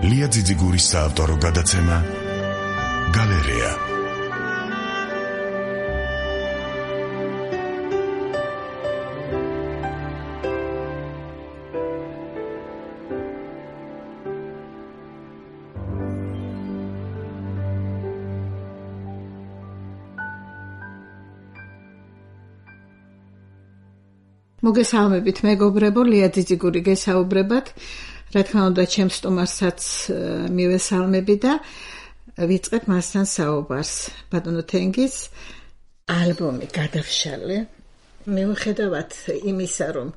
ლია ძიძიგურის საავტორო გადაცემა გალერეა. მოგესალმებით მეგობრებო, ლია ძიძიგური გესაუბრებათ. რა თქმა უნდა, ჩემს სტუმარსაც მივესალმები და ვიწყებ მასთან საუბარს. ბატონო თენგის ალბომი გადავშალე. მიუხედავად იმისა, რომ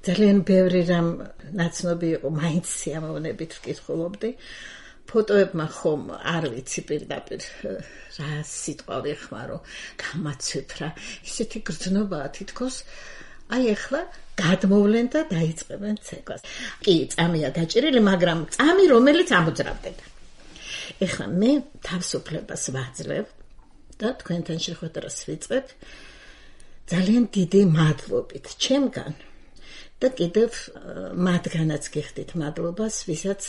ძალიან ბევრი რამ ნაცნობი იყო, მაინც სიამოვნებით ვკითხულობდი. ფოტოებმა ხომ არ ვიცი პირდაპირ რა სიტყვა ვიხმარო, გამაცვიფრა. ისეთი გრძნობაა თითქოს აი ახლა გადმოვლენ და დაიწყებენ ცეკვას. კი, წამია გაჭირილი, მაგრამ წამი რომელიც ამოძრავდება. ეხლა მე თავისუფლებას ვაძლევ და თქვენთან შეხვედრას ვიწყებ ძალიან დიდი მადლობით ჩემგან და კიდევ მათგანაც გიხდით მადლობას, ვისაც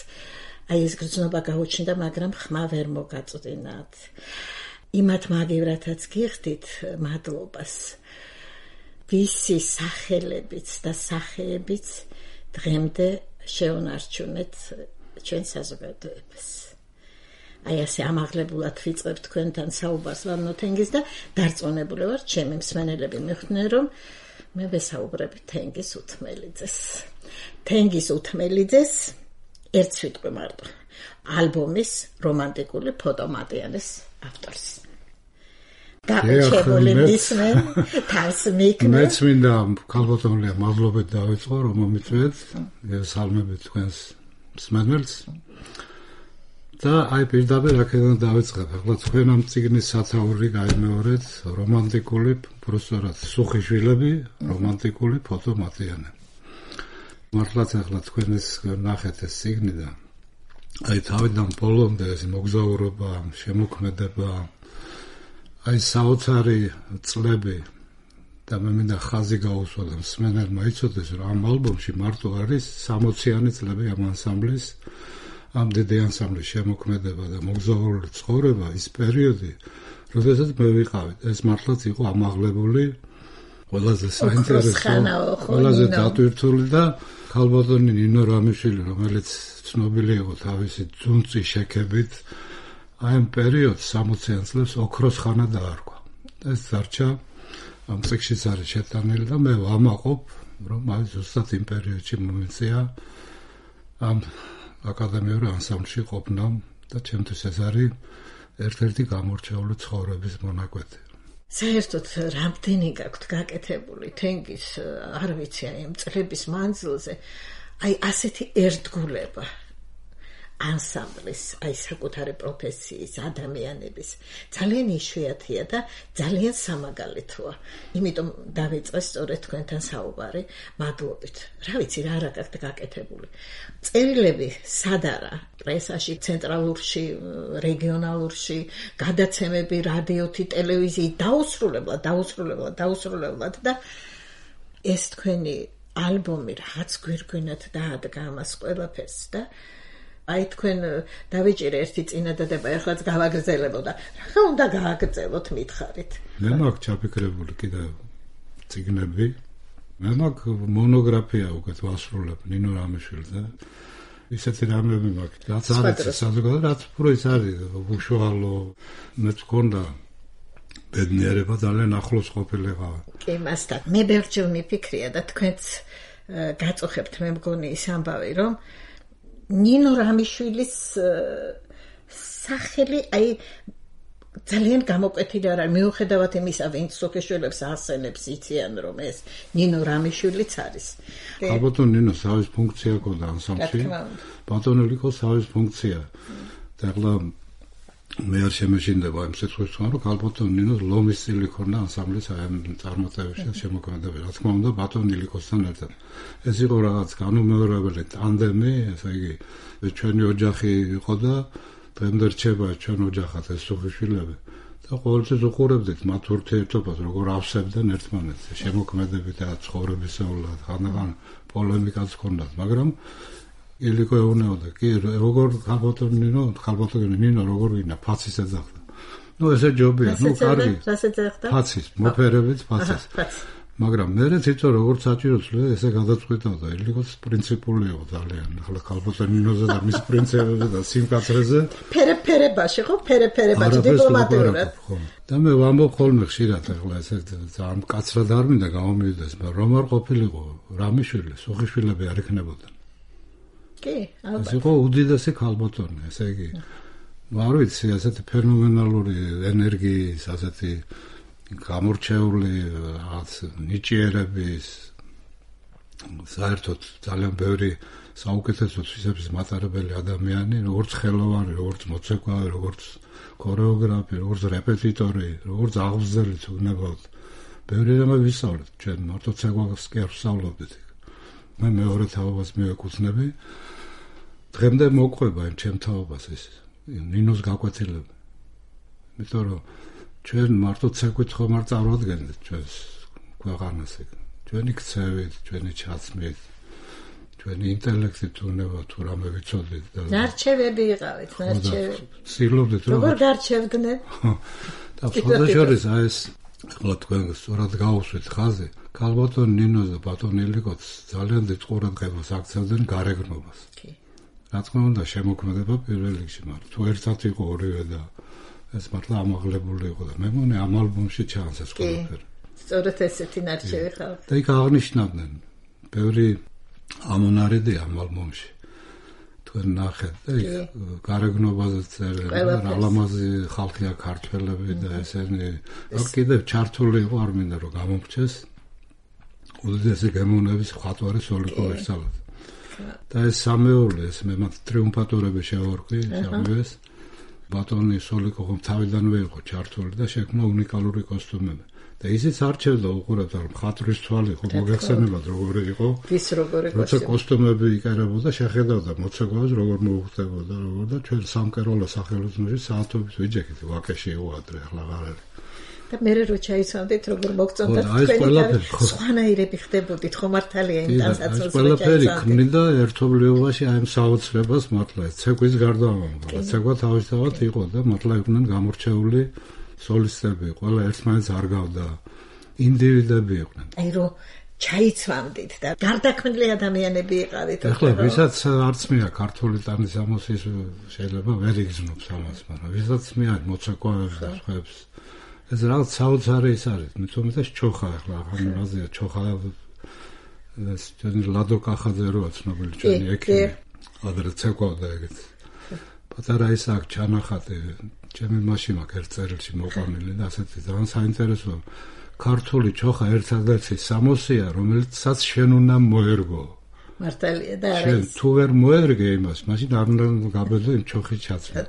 აი ეს გრძნობა გაუჩნდა, მაგრამ ხმა ვერ მოგაწვდინათ. იმათ მაგივრათაც გიხდით მადლობას, ვისი სახელებიც და სახეებიც დღემდე შეუნარჩუნეთ ჩვენ საზოგადოებას. აი ასე ამაღლებულად ვიწყებ თქვენთან საუბარს ვანო თენგის და დარწმუნებული ვარ, ჩემი მსმენელები მიხვდნენ, რომ მე ვესაუბრები თენგის უთმელიძეს. თენგის უთმელიძეს ერთ სიტყვი მარტო. ალბომის რომანტიკული ფოტომატიანის ავტორს. გაჩებული მისმენ თავს მიქნე. მეც მინდა ქალბატონლია მადლობით დავიწყო, რომ მომიწვიეთ, სალმებით თქვენს მსმენელს. და აი პირდაპირ აქედან დავიწყებ. ახლა თქვენ ამ წიგნის სათაური გაიმეორეთ, რომანტიკული, პროსტორად სუხიშვილები, რომანტიკული ფოტომატიანე. მართლაც ახლა თქვენ ეს ნახეთ ეს წიგნი და აი თავიდან ბოლომდე ეს მოგზაურობა, შემოქმედება, აი საოცარი წლები და მე მინდა ხაზი გაუსვა და მსმენელმა იცოდეს, რომ ამ ალბომში მარტო არის 60-იანი წლები ამ ანსამბლის, ამ დიდი ანსამბლის შემოქმედება და მოგზაურული ცხოვრება, ის პერიოდი, როდესაც მე ვიყავი. ეს მართლაც იყო ამაღლებული, ყველაზე საინტერესო, ყველაზე დატვირთული და ქალბატონი ნინო რამიშვილი, რომელიც ცნობილი იყო თავისი ძუნწი შექებით, აი ამ პერიოდს 60-იან წლებს ოქროს ხანა დაარქვა. ეს დარჩა ამ წიგნშიც არის შეტანილი და მე ვამაყობ, რომ აი ზუსტად იმ პერიოდში მომეწია ამ აკადემიური ანსამბლში ყოფნამ და ჩემთვის ეს არის ერთ-ერთი გამორჩეული ცხოვრების მონაკვეთი. საერთოდ რამდენი გაქვთ გაკეთებული თენგის, არ ვიცი, აი ამ წლების მანძილზე, აი ასეთი ერთგულება ანსამბლის, აი საკუთარი პროფესიის, ადამიანების ძალიან იშვიათია და ძალიან სამაგალითოა. იმიტომ დავიწყე სწორედ თქვენთან საუბარი მადლობით. რა ვიცი, რა გაქვთ გაკეთებული. წერილები სად არა? პრესაში, ცენტრალურში, რეგიონალურში, გადაცემები, რადიოთი, ტელევიზიით, დაუსრულებლად და ეს თქვენი ალბომი რაღაც გვირგვინად დაადგა ამას ყველაფერს და აი თქვენ დავიჭირე ერთი წინადადება, ეხლაც გავაგრძელებო და რა უნდა გააგრძელოთ მითხარით. მე მაქვს ჩაფიქრებული კიდევ წიგნები, მე მაქვს მონოგრაფია უკეთ ვასრულებ ნინო რამიშვილზე. ისეთი რამები მაქვს, რაც არის საზოგადოება, რაც უფრო ის არის უშუალო, მეც მქონდა ბედნიერება ძალიან ახლოს ყოფილიყავ. კი, მასთან. მე ბევრჯერ მიფიქრია და თქვენც გაწუხებთ, მე მგონი ის ამბავი, რომ ნინო რამიშვილის სახელი აი ძალიან გამოკვეთილი არ არის, მიუხედავად იმისა, ვინც სოფიშვილებს ასენებს იციან, რომ ეს ნინო რამიშვილიც არის. ალბათ ნინო სავის ფუნქცია ქონდა ანსამბლში. ბატონელი იყო სავის ფუნქცია. და ახლა მე არ შემეშინდება იმ სიტყვის თქვა, რომ ალბათ ნინოს ლომის სტილი ქონდა ანსამბლის აი ამ წარმატებაში და შემოქმედებაში. რა თქმა უნდა, ბატონ ილიკოსთან ერთად. ეს იყო რაღაც განუმეორებელი ტანდემი, ესე იგი, ჩვენი ოჯახი იყო და დღემდე რჩება ჩვენ ოჯახად ეს სუხიშვილები. და ყოველთვის უყურებდით მათ ურთიერთობას, როგორ ავსებდნენ ერთმანეთს, შემოქმედებით და ცხოვრებისეულად, ხანდახან პოლემიკაც ჰქონდათ, მაგრამ ილიკო ეუნეოდა. კი, როგორ ხალბატონი ნინო როგორ ვინა ფაცის ეძახდა. ნუ ესე ჯობია, ნუ კარგი. რასაც ეძახდა? ფაცის, მოფერებით ფაცის. მაგრამ მე თვითონ როგორც საჭიროც ესე გადაწყვიტავდა, ილიკოს პრინციპული იყო ძალიან. ახლა ხალბატონი ნინოზე და მის პრინციპებზე და სიმკაცრეზე. ფერებაში ხო? ფერებაში დიპლომატიურად. და მე ვამბობ ხოლმე ხშირად ახლა ესე ძალიან კაცრად არ მინდა გამომივიდეს, მაგრამ რომ არ ყოფილიყო რამიშვილი, სუხიშვილები არ იქნებოდნენ. კი, ალბათ. ეს იყო უდიდესი ხალბატონი, ესე იგი. არ ვიცი, ასეთი ფენომენალური ენერგიის, ასეთი გამორჩეული რაღაც ნიჭიერების საერთოდ ძალიან ბევრი საუკეთესო თვისების მატარებელი ადამიანი, როგორც ხელოვანი, როგორც მოცეკვავი, როგორც ქორეოგრაფი, როგორც რეპეტიტორი, როგორც აღზრდილი თუნებოდ. ბევრი რამე ვისწავლეთ, ჩვენ მარტო ცეკვას კი არ ვსწავლობდით. მე მეორე თაობას მივეკუთვნები. დღემდე მოყვება იმ ჩემ თაობას ეს ნინოს გაკვეთილები. იმიტომ რომ ჩვენ მარტო ცეკვით ხომ არ წარვადგენთ ჩვენს ქვეყანას ეგ. ჩვენი ქცევით, ჩვენი ჩაცმით, ჩვენი ინტელექტით თუნდაც თუ რამე ვიცოდით და ნარჩევები იყავით, ნარჩევები. ცდილობდით რომ როგორ გარჩევდნენ? და ფოტოშორის ეს ახლა თქვენ სწორად გაუსვით ხაზი. ხალბატონ ნინოს და ბატონ ილიკოც ძალიან დიდ ყურადღებას აქცევდნენ გარეგნობას. კი. რა თქმა უნდა შემოქმედება პირველ რიგში, მაგრამ თუ ერთად იყო ორივე და ეს მართლა ამაღლებული იყო და მე მგონი ამ ალბომში ჩანს ეს ყველაფერი. სწორედ ესეთი ნარჩევი ხალხი. და იქ აღნიშნავდნენ ბევრი ამონარიდი ამ ალბომში. თქვენ ნახეთ და იქ გარეგნობაზე წერენ რა ლამაზი ხალხია ქართველები და ესენი კიდევ ჩართული იყო არ მინდა რომ გამომრჩეს უდიდესი გემოვნების მხატვარი სოლიკო ვერსალაძე. და ეს სამეული ეს მე მათ ტრიუმფატორები შევარქვი სამივეს. ბატონი სოლიკო ხომ თავიდანვე იყო ჩართული და შექმნა უნიკალური კოსტუმები. და ისიც არჩევდა უყურებთ რომ მხატვრის თვალი ხო მოგეხსენებათ როგორი იყო. ის როგორი კოსტუმი. როცა კოსტუმები იკერებოდა შეხედავდა მოცეკვავს როგორ მოუხდებოდა როგორ და ჩვენ სამკერვალო სახელოსნოში საათობით ვიჯექით ვაკეში იყო ადრე ახლა აღარ არის. და მე რო ჩაიცვამდით როგორ მოგწონდათ თქვენი სხვანაირები ხდებოდით ხო მართალია იმ ტანსაცმელს ყველაფერი ქმნიდა ერთობლიობაში აი ამ საოცრებას მართლა ცეკვის გარდა ამბობა ცეკვა თავისთავად იყო და მართლა იყვნენ გამორჩეული სოლისტები ყველა ერთმანეთს არგავდა ინდივიდები იყვნენ აი რო ჩაიცვამდით და გარდაქმნილი ადამიანები იყავით ახლა ვისაც არც მეა ქართული ტანის ამოსის შეიძლება ვერ იგრძნობს ამას მაგრამ ვისაც მეა მოცეკვავებს და სხვებს ეს რაღაც საოცარი ის არის, მithumetes ჩოხა ახლა ახალაზია ჩოხა ეს ჩვენი ლადო კახაძე როა ცნობილი ჩვენი ექიმი. ადრე ცეკვავდა ეგეთ. პატარა ის აქ ჩანახატი, ჩემი მაშინ აქ ერთ წერილში მოყვანილი და ასეთი ძალიან საინტერესო ქართული ჩოხა ერთადერთი სამოსია, რომელიცაც შენ უნდა მოერგო. მართალია და არა შენ თუ ვერ მოერგე იმას, მაშინ არ უნდა გაბედო იმ ჩოხის ჩაცმა.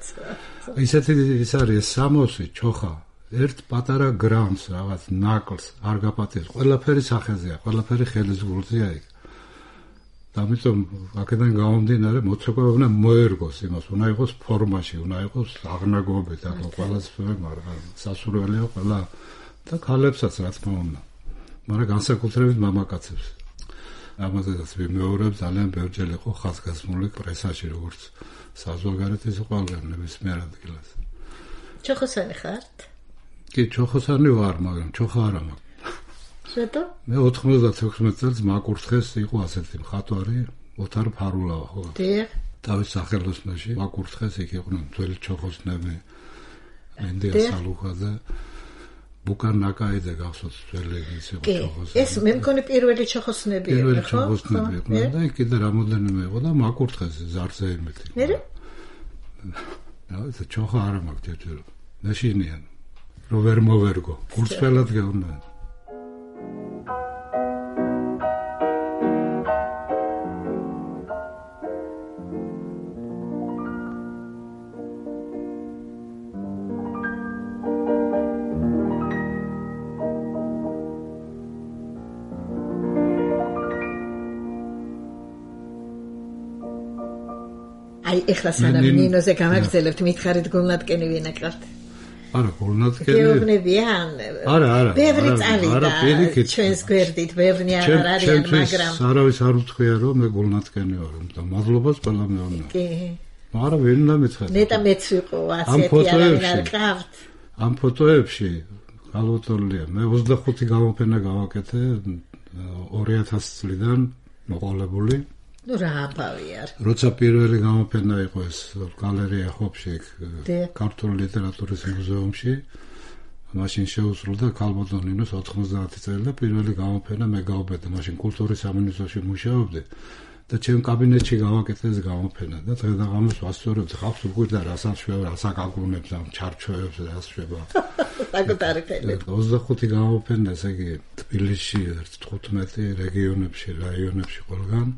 ისეთი ის არის სამოსი ჩოხა. ერთ პატარა გრამს რაღაც ნაკლს არ გაპატიებს ყველაფერი სახეზეა ყველაფერი ხელის გულზეა იქ და ამიტომ აქედან გამომდინარე მოცეკვავი უნდა მოერგოს იმას უნდა იყოს ფორმაში უნდა იყოს აღნაგობით და ყველასწორე მაგრამ სასურველია ყველა და ქალებსაც რა თქმა უნდა მაგრამ განსაკუთრებით მამაკაცებს ამაზეც ვიმეორებ ძალიან ბევრჯერ იყო ხაზგასმული პრესაში როგორც საზღვარგარეთის ყველგან ნებისმიერ ადგილას ჩოხოსანი ხართ კი, ჩოხოსანი ვარ, მაგრამ ჩოხა არა მაქვს. შეტო? მე 96 წელს მაკურთხეს იყო ასეთი მხატვარი, ოთარ ფარულავა, ხო? დიახ. თავის სახელოსნოში მაკურთხეს იქ იყვნენ ძველი ჩოხოსნები. მენდია სალუხაძე, ბუკან ნაკაიძე გახსოვთ ძველი ის იყო ჩოხოსნები. ეს მე მგონი პირველი ჩოხოსნები იყო, ხო? პირველი ჩოხოსნები იყვნენ და იქ კიდე რამოდენიმე იყო და მაკურთხეს ზარზე იმით. მე? ეს ჩოხა არა მაქვს ჯერჯერ. ნაშინიან. რო ვერ მოვერგო, გულწრფელად გეუბნა. აი, ეხლა სანამ ნინოზე გამაგრძელებთ, მითხარით გულნატკენი ვინაკრათ? არა, გულნათკენი. გეუბნებიან. არა. ბევრი წავიდა ჩვენს გვერდით, ბევრი არ არიან, მაგრამ არავის არ უთქვია რომ მე გულნათკენი ვარ, და მადლობას ყველა მეუბნა. კი. არა, ვერ უნდა მითხრათ. ნეტა მეც ვიყო ასეთი არავინ არ ყავთ. ამ ფოტოებში გალოთოლია, მე 25 გამოფენა გავაკეთე 2000 წლიდან მოყოლებული. ნუ რა ამბავია. როცა პირველი გამოფენა იყო ეს გალერეა ხოფში, ქართული ლიტერატურის მუზეუმში, მაშინ შეუსრულდა ქალბატონინოს 90 წელი და პირველი გამოფენა მე გავბედე, მაშინ კულტურის სამინისტროში მუშაობდი და ჩემ კაბინეტში გავაკეთე ეს გამოფენა და დღე-დღეს ვასწორებ ხალხს უყურდა რასაც შვება, რასაც აგულნებს ამ ჩარჩოებს რას შვება. საკუთარი ხელით. 25 გამოფენა, ესე იგი თბილისში 15 რეგიონებში, რაიონებში ყველგან.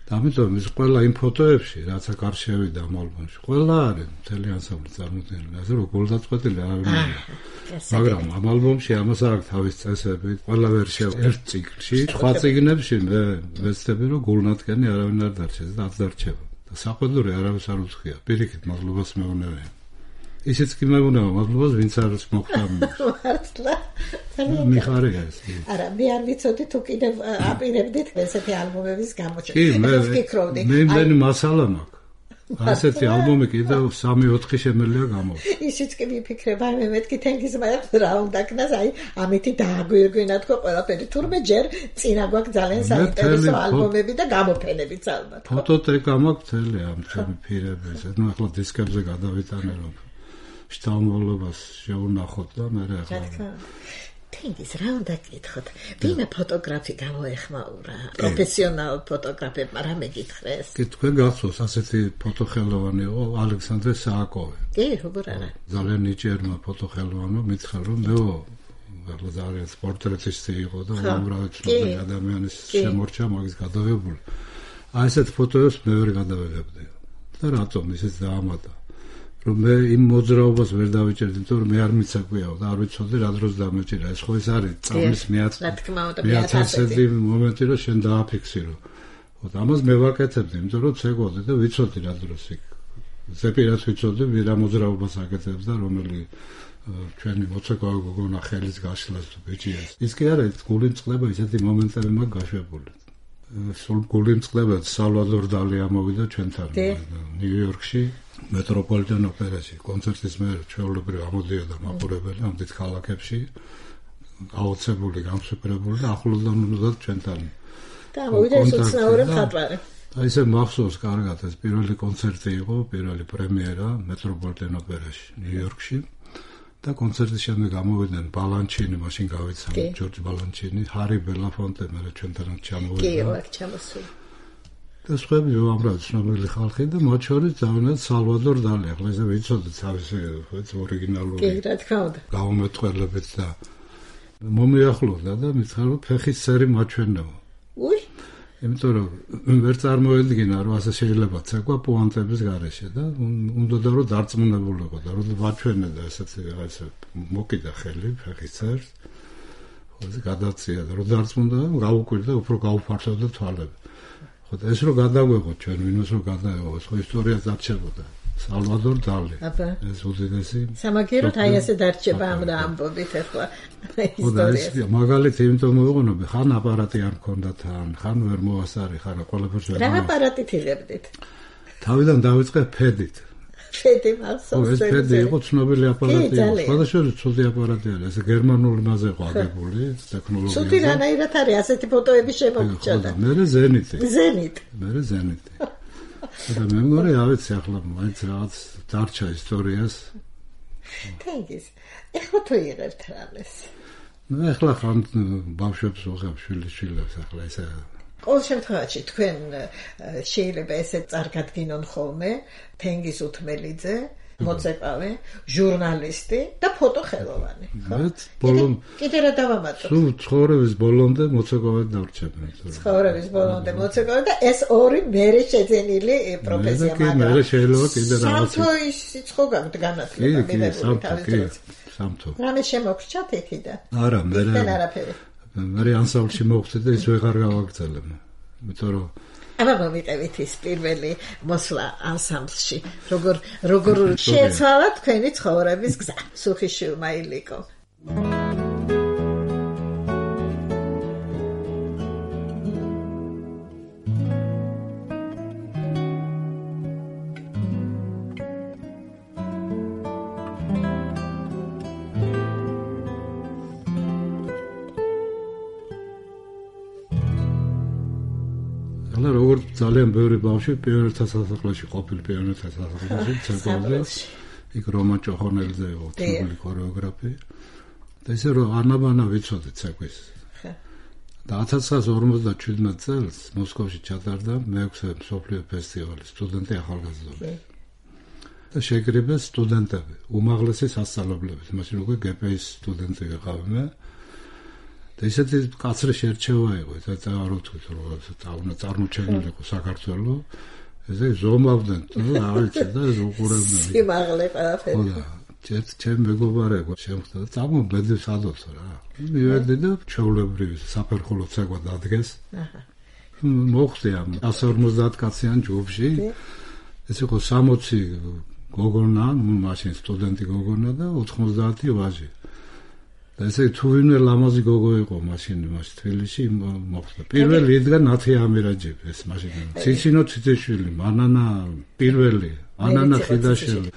და ამიტომ ის ყველა იმ ფოტოებში, რაც აქ არ შევიდა ამ ალბომში, ყველა არის მთელი ანსამბლი წარმოდგენილი, ასე რომ გულდაწყვეტილი არავინ არ არის. მაგრამ ამ ალბომში ამას აქვს თავის წესები, ყველა ვერსია ერთ ციკლში, სხვა წიგნებში მე ვეცდები რომ გულნათკენი არავინ არ დარჩეს და არ დარჩება. და საყვედური არავის არ უცხია. პირიქით მადლობას მეუბნებიან. ისიც კი მეუბნება მადლობას, ვინც არის მოხდა. მართლა. მიხარია ეს. არა, მე არ ვიცოდი თუ კიდევ აპირებდით ესეთი ალბომების გამოჩენას. კი, მე იმდენი მასალა მაქვს. ასეთი ალბომი კიდევ 3-4 შემიძლია გამოვიდა. ისიც კი ვიფიქრებ, აი მე მეთქი თენგის მაქვს რა უნდა ქნას, აი ამითი დააგვირგვინა თქო ყველაფერი. თურმე ჯერ წინა გვაქვს ძალიან საინტერესო ალბომები და გამოფენებიც ალბათ. ფოტოთეკა მაქვს მთელი ამ ჩემი ფირების. ნუ ახლა დისკებზე გადავიტანე რომ შთამომავლობას შეუნახოთ და მე ახლა თენგის რა უნდა გითხოთ? ვინმე ფოტოგრაფი გამოეხმაურა? პროფესიონალ ფოტოგრაფებმა რა მეკითხეს? კი, თქვენ გახსოვს ასეთი ფოტოხელოვანი იყო ალექსანდრე სააკოვი. კი, როგორ არა. ძალიან ნიჭიერმა ფოტოხელოვანმა მითხრა რომ მეო ახლა ძალიან პორტრეტისტი იყო და უამრავი ცნობილი ადამიანის შემორჩა მაგის გადაღებული. აი ესეთ ფოტოებს მე ვერ გადავიღებდი. და რატომ ისიც დაამატა? რომ მე იმ მოძრაობას ვერ დავიჭერდი, იმიტომ რომ მე არ მიცაკვიაო და არ ვიცოდი რა დროს დამეჭირა. ეს ხო ეს არის წამის მეათასედი მომენტი, რომ შენ დააფიქსირო. ხოდა ამას მე ვაკეთებდი, იმიტომ რომ ცეკვავდი და ვიცოდი რა დროს იქ. ზეპირად ვიცოდი, რა მოძრაობას აკეთებს და რომელი ჩვენი მოცეკვავი გოგონა ხელის გაშლას თუ ბიჭიას. ის კი არა, გული მწყდება, ისეთი მომენტები მაქვს გაშვებული. სულ გული მწყდება, სალვადორ დალი ამოვიდა ჩვენთან ნიუ-იორკში. მეტროპოლიტენ ოპერაში კონცერტის მერე ჩვეულებრივ ამოდიოდა მაყურებელი ამ დიდ ქალაქებში აუცებული, გამსუპრებული და ახლოდან უნდა ჩვენთან. და მოვიდა ეს უცნაური მხატვარი. აი ესე მახსოვს კარგად ეს პირველი კონცერტი იყო, პირველი პრემიერა მეტროპოლიტენ ოპერაში ნიუ-იორკში და კონცერტის შემდეგ გამოვიდნენ ბალანჩინი, მაშინ გავიცანე ჯორჯ ბალანჩინი, ჰარი ბელაფონტე, მერე ჩვენთანაც ჩამოვიდა. კი, აქ ჩამოსული. და სხვები უამრავი ცნობილი ხალხი და მათ შორის დავინათ სალვადორ დალი. ახლა ესე ვიცოდეთ თავისი ორიგინალური. კი, რა თქმა უნდა. გამომეტყველებით და მომიახლოვდა და მითხრა რომ ფეხის წერი მაჩვენეო. უი. იმიტომ რომ ვერ წარმოედგინა რომ ასე შეიძლება ცეკვა პუანტების გარეშე და უნდა რომ დარწმუნებულიყო და რომ მაჩვენე და ესეთი რაღაცა მოკიდა ხელი ფეხის წერს. ხოზე გადაცია და რომ დარწმუნდა გავუკვირდა უფრო გაუფართოვდა თვალები. ხოდა ეს რო გადაგვეღოთ ჩვენ ვინოს რო გადაეღოთ ხო ისტორია დარჩებოდა სალვადორ დალი ეს უდიდესი სამაგიეროდ აი ასე დარჩება ამ ამბობით ახლა ისტორია მაგალითი იმიტომ მოვიყენებდი ხან აპარატი არ მქონდა თან ხან ვერ მოასარი ხან ყველაფერს ვერ რა აპარატით იღებდით თავიდან დავიწყე ფედით ფედი მახსოვს ეს ფედი იყო ცნობილი აპარატი სხვადასხვა ცუდი აპარატი არის ეს გერმანული მასზე იყო აგებული ტექნოლოგია ცუდი რანაირად არის ასეთი ფოტოები შემოგჭოდა მე ზენიტი მე ზენიტი და მე მგონი რა ვიცი ახლა მაინც რაღაც დარჩა ისტორიას თენგის ეხლა თუ იღებთ რამეს ნუ ეხლა ხან ბავშვებს ვიღებ შვილიშვილებს ახლა ესე ყოველ შემთხვევაში თქვენ შეიძლება ესე წარგადგინონ ხოლმე თენგის უთმელიძე მოცეკვავე ჟურნალისტი და ფოტოხელოვანი ხო კიდე რა დავამატოთ სულ ცხოვრების ბოლომდე მოცეკვავედ დავრჩები ცხოვრების ბოლომდე მოცეკვავე და ეს ორი მერე შეძენილი პროფესია მაგრამ მერე შეიძლება კიდე რაღაც სამთო ის სიცხო განათლება მიღებული თავის სამთო რამე შემოგრჩათ იქიდან არა მერე არაფერი მე ანსამბლში მოვხდი და ის ვეღარ გავაგრძელებ. იმიტომ რომ აბა მომიყევით ის პირველი მოსვლა ანსამბლში. როგორ შეცვალა თქვენი ცხოვრების გზა. სუხიშვილმა ილიკო. ძალიან ბევრი ბავშვი პიონერთა სასახლეში ყოფილი პიონერთა სასახლეში ცეკვავდა იქ რომან ჭოხონელიძე იყო თბილი ქორეოგრაფი და ისე რომ ანაბანა ვიცოდი ცეკვის და 1957 წელს მოსკოვში ჩატარდა მე-6 მსოფლიო ფესტივალი სტუდენტი ახალგაზრდები და შეკრიბეს სტუდენტები უმაღლესი სასწავლებლების მაშინ უკვე გპ-ის სტუდენტი ვიყავი მე და ისეთი კაცრი შერჩევა იყო და არ ვთქვით რომ წარმოჩენილიყო საქართველოს ესე ზომავდნენ და არიცი და უყურებდნენ სიმაღლე ყველაფერი ჩემ მეგობარებო შემხდა და წამობედი სადოცო რა მივედი და ჩაულებრივი საფერხულო ცეკვა დადგეს მოხდი ამ 150 კაციან ჯგუფში ეს იყო 60 გოგონა მაშინ სტუდენტი გოგონა და 90 ვაჟი და ესე თუ ვინმე ლამაზი გოგო იყო მაშინ თბილისში მოხდა პირველი იდგა ნათი ამირაჯები ეს მაშინ ციცინო ციცეშვილი მანანა პირველი ანანა ხიდაშვილი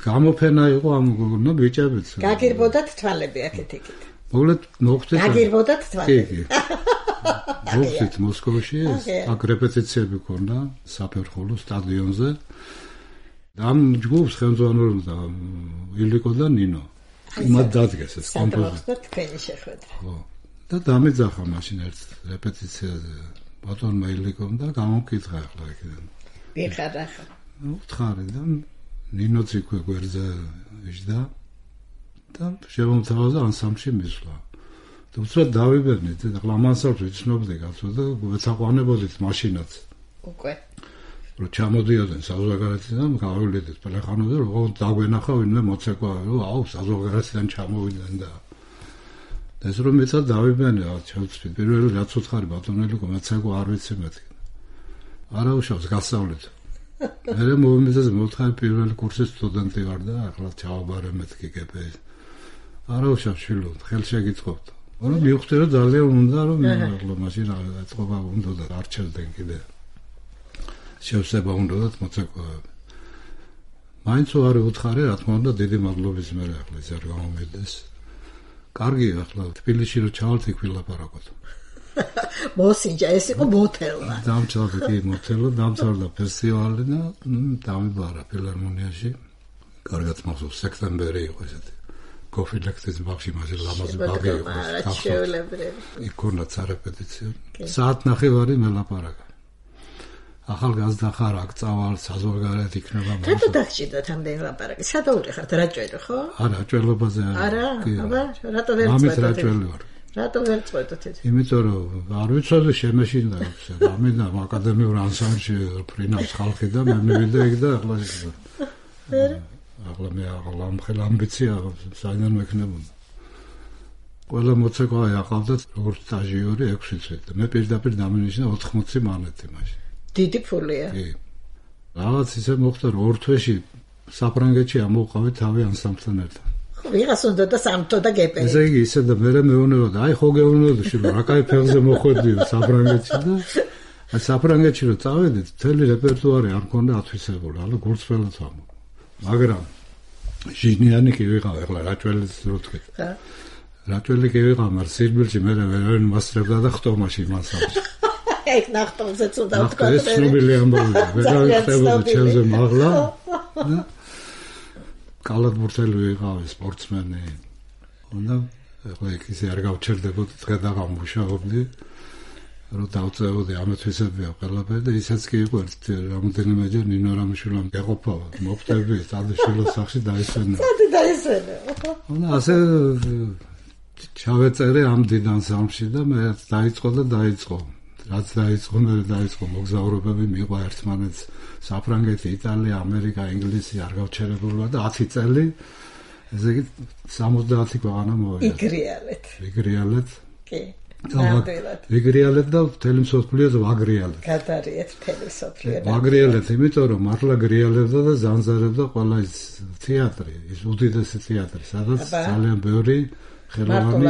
გამოფენა იყო ამ გოგონა ბიჭებიც გაგირბოდათ თვალები აქეთ-იქით მოგლეთ მოხდა გაგირბოდათ თვალები მოხდით მოსკოვში აქ რეპეტიციები ქონდა საფერხულო სტადიონზე და ამ ჯგუფს ხელმძღვანელობდა ილიკო და ნინო იმად დადგეს ეს კომპოზიცია თქვენი შეხვედრა ხო და დამეძახა მაშინ ერთ რეპეტიციაზე ბატონმა ილიკომ და გამომკითხა ახლა იქიდან ვიხარა უთხარი და ნინოც იქვე გვერდზე იჯდა და შემომთავაზა ანსამბლში მისვლა და უცბად დავიბერნით და ლამანსალს ვიცნობდი კაცო და ვეცაყვანებოდით მაშინაც უკვე რომ ჩამოდიოდნენ საზღვარგარეთიდან გავივლიდით პელეხანოზე რომ დაგვენახა ვინმე მოცეკვავე რომ აუ საზღვარგარეთიდან ჩამოვიდნენ და ეს რომ მეცად დავიბერნე ჩავწვი პირველი რაც უთხარი ბატონელი კომეცეკვა არ ვიცი მეთქი არა უშავს გასავლეთ მე მოვიმეძე მოთხარი პირველი კურსის სტუდენტი ვარ და ახლა ჩავაბარე მეთქი გპ-ს არა უშავს შილო ხელშეგიწყობთ რომ მივხვდი რომ ძალიან უნდა რომ ახლა მაშინ აწყობა უნდა და არჩევდნენ კიდე შევსება უნდათ მოცეკვავები. მაინც არ უთხარი, რა თქმა უნდა, დიდი მადლობის მე ახლა ეს არ გამომედეს. კარგია ახლა თბილისში რომ ჩავალთ იქ ვილაპარაკოთ. მოსინჯა ეს იყო მოთელვა. დამჭალდა კი მოთელვა, დამთავრდა ფესტივალი და დამიბარა ფილარმონიაში. კარგად მახსოვს სექტემბერი იყო ესეთი. კოფილექტის ბაღში მასე ლამაზი ბაღი იყო. იქ ქონდა სარეპეტიციო. საათნახევარი მელაპარაკა. ახალგაზრდა ხარ აქ წავალ საზღვარგარეთ იქნება მაგრამ რატო დაგჭირდათ ამდენი ლაპარაკი სადაური ხართ რაჭველი ხო არა ჭველობაზე არა აბა რატო ვერ წვეთოთ რატო ვერ წვეთოთ იმიტომ რომ არ ვიცოდი შემეშინდა ამიდა აკადემიურ ანსამბლში ფრინავს ხალხი და მე მივიდა იქ და ახლა მე ახლა ამბიცია საიდან მექნებოდა ყველა მოცეკვავე აყავდათ როგორც სტაჟიორი 6 წელი და მე პირდაპირ დამენიშნა 80 მანეთი მაშინ დიდი ფულია. კი. რაღაც ისე მოხდა რომ ორ თვეში საფრანგეთში ამოვყავე თავი ანსამბლთან ერთად. ხო, ვიღაც უნდა და სამთო და გეპერი. ესე იგი ისე და მე მეუბნებოდა, აი ხო გეუბნებოდა შვილო, რა кай ფეხზე მოხვედიო საფრანგეთში და აი საფრანგეთში რომ წავედით, მთელი რეპერტუარი არ მქონდა ათვისებული, αλλά გულწრფელად ვამბობ. მაგრამ ჟინიანი კი ვიყავ, ახლა რაჭველიც რო თქვი. ხა. რაჭველი კი ვიყავ, მაგრამ სირბილში მე ვერ მასწრებდა და ხტომაში მასალში. ეგ ნახტომზეც უნდა ვთქვა. ეს ცნობილი ამბავია. ვეღარ ჩემზე მაღლა. კალათბურთელი ვიყავი, სპორტსმენი. უნდა ახლა ისე არ გავჩერდებოდი, დღე და გამუშავებდი. რომ დავწევოდი ამეთვისებია ყველაფერი და ისაც კი იყო რამოდენიმეჯერ ნინო რამიშვილამ ეყოფა მოხდები სადაშვილოს სახში დაისვენა. სადი დაისვენა. უნდა ასე ჩავეწერე ამ დიდ ანსამბლში და მე დაიწყო რაც დაიწყო მოგზაურობები მიყვა ერთმანეთს საფრანგეთი, იტალია, ამერიკა, ინგლისი არ გავჩერებულა და 10 წელი ესე იგი 70 ქვეყანა მოვიდა. იგრიალეთ. კი. ვიგრიალეთ და მთელი მსოფლიოს ვაგრიალეთ. გადარიეთ მთელი მსოფლიო. ვაგრიალეთ, იმიტომ რომ მართლა გრიალებდა და ზანზარებდა ყველა ის თეატრი, ის უდიდესი თეატრი, სადაც ძალიან ბევრი ხელოვანი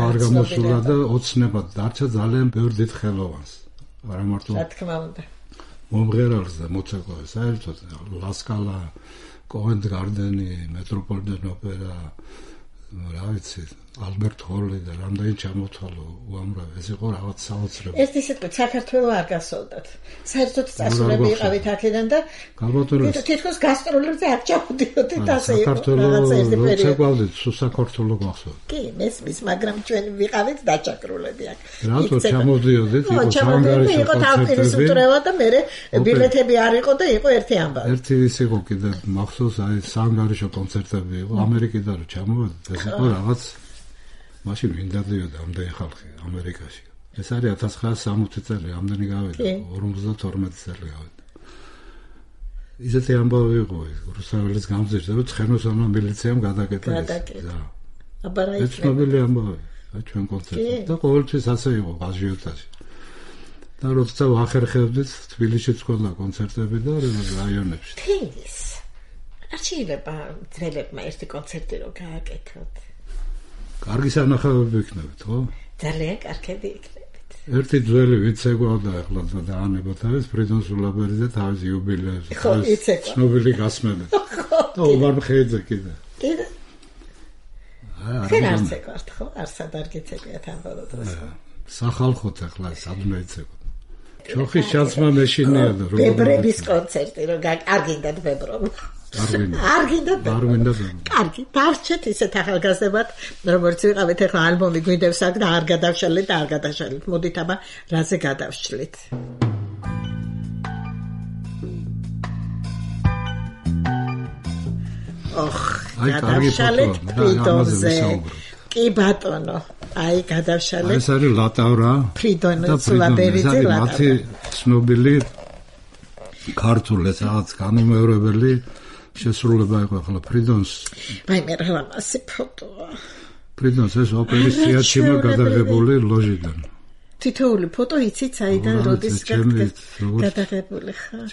არ გამოსულა და ოცნებად დარჩა ძალიან ბევრ დიდ ხელოვანს. არა მარტო რა თქმა უნდა. მომღერალს და მოცეკვავეს საერთოდ ლასკალა, კოვენტ გარდენი, მეტროპოლიტენ ოპერა, რა ვიცი, ალბერტ ჰოლი და რამდენი ჩამოთვალო უამრავი. ეს იყო რაღაც საოცრებო. ეს ისე თქვა, საქართველოს არ გასულდათ. საერთოდ წასულები იყავით აქედან და თითქოს გასტროლებზე არ ჩამოდიოდით, ასე იყო. საქართველოს მოცეკვავდით, საქართველოს გახსოვთ. კი, მესმის, მაგრამ ჩვენ ვიყავით დაჭაკრულები აქ. რატო ჩამოდიოდით? იყო ჩანგარიშო იყო თავპირის უტრევა და მე ბილეთები არ იყო და იყო ერთი ამბავი. ერთი ის იყო კიდე მახსოვს, აი სანგარიშო კონცერტები იყო ამერიკიდან რომ ჩამოვედით, ეს იყო რაღაც მაშინ ვინ დადიოდა ამდენი ხალხი ამერიკაში. ეს არის 1960 წელი, ამდენი გავიდა, 52 წელი გავიდა. ისეთი ამბავი იყო ეს, რუსთაველის გამზირდა, რომ ცხენოსანო მილიციამ გადაკეტეს. აბა რა ის ცნობილი ამბავი, ჩვენ კონცერტზე და ყოველთვის ასე იყო აზიოტაში. და როცა ვახერხებდით, თბილისშიც ჰქონდა კონცერტები და რაიონებში. თინგის. არ შეიძლება ძველებმა ერთი კონცერტი რომ გააკეთოთ. კარგი სანახავები იქნებით, ხო? ძალიან კარგები იქნებით. ერთი ძველი ვიცე გვაქვს ახლა დაანებოთ არის ფრიდონ სულაბერიძე თავის იუბილეებზე. ცნობილი გასმენით. და ომარ მხეიძე კიდე. კიდე. არ ცეკვართ, ხო? არსად არ გეცებიათ ამ ბოლო დროს. სახალხოთ ახლა სადმე იცეკოთ. ჩოხის ჩაცმა მეშინია და როგორ ბებრების კონცერტი რომ არ გინდათ ბებრო. არ გინდათ. კარგი, დარჩეთ ისეთ ახალგაზრდებად, როგორც ვიყავით ახლა ალბომი გვინდებს აქ და არ გადავშალეთ და არ გადაშალეთ. მოდით აბა რაზე გადავშლით. გადავშალეთ ფრიდონზე. კი ბატონო, აი გადავშალეთ. ეს არის ლატავრა ფრიდონ სულაბერიძე ლატავრა. მათი ცნობილი ქართული რაღაც განუმეორებელი შესრულება იყო ახლა ფრიდონს. აი მე რა მასი ფოტოა. ფრიდონს ეს ოპერის თეატრში გადაღებული ლოჟიდან. თითოეული ფოტო იცით საიდან როდის გადაღებული ხარ?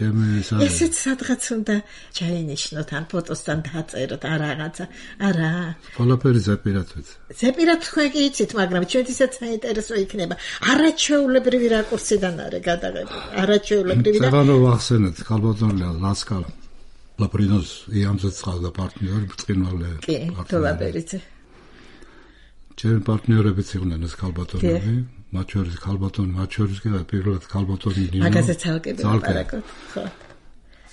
ესეც სადღაც უნდა ჩაინიშნოთ ან ფოტოსთან დაწეროთ არ რაღაცა. არა. ყველაფერი ზეპირად. ზეპირად თქვენ კი იცით, მაგრამ ჩვენთვისაც საინტერესო იქნება. არაჩვეულებრივი რაკურსიდან არის გადაღებული. არაჩვეულებრივი და ზევანო ვახსენეთ, ქალბატონია ლასკალ. ლაპრინოს იამზეც ყავდა პარტნიორი ბწყინვალე. კი, თოლაბერიძე. ჩემი პარტნიორებიც იყვნენ ეს ქალბატონები. მათ შორის ქალბატონი, მათ შორის კი პირველად ქალბატონი ნინო. მაგაზე ცალკე ვაპარაკოთ, ხო.